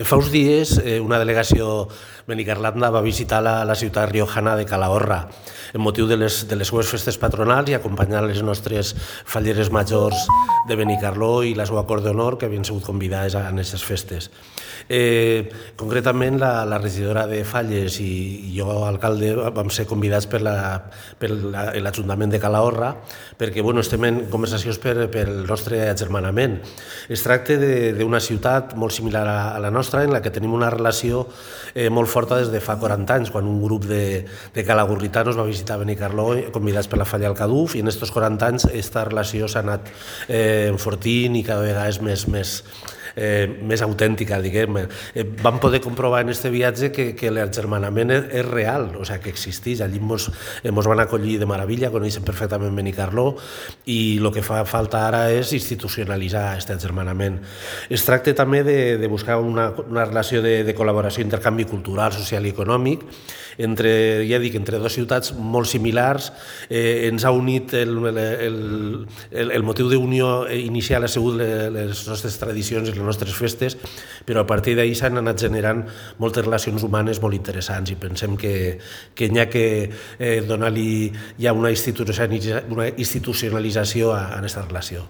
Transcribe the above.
Fa uns dies una delegació benicarlanda va visitar la ciutat riojana de Calahorra en motiu de les seues festes patronals i acompanyar les nostres falleres majors de Benicarló i la seva cort d'honor que havien sigut convidades a aquestes festes. Concretament la regidora de Falles i jo, alcalde, vam ser convidats per l'Ajuntament de Calahorra perquè estem en conversacions pel nostre agermanament. Es tracta d'una ciutat molt similar a la nostra, en la que tenim una relació molt forta des de fa 40 anys, quan un grup de calagurritanos va visitar Benicarló convidats per la Falla al Caduf, i en aquests 40 anys aquesta relació s'ha anat enfortint i cada vegada és més autèntica, diguem. Vam poder comprovar en aquest viatge que l'agermanament és real, o sigui, que existeix. Allí ens van acollir de meravella, coneixen perfectament Benicarló, i el que fa falta ara és institucionalitzar aquest agermanament. Es tracta també de buscar una relació de col·laboració, intercanvi cultural, social i econòmic entre dues ciutats molt similars. Ens ha unit el motiu d'unió inicial ha sigut les nostres tradicions i les nostres festes, però a partir d'ahir s'han anat generant moltes relacions humanes molt interessants i pensem que n'hi ha que donar-li ja una institucionalització a aquesta relació.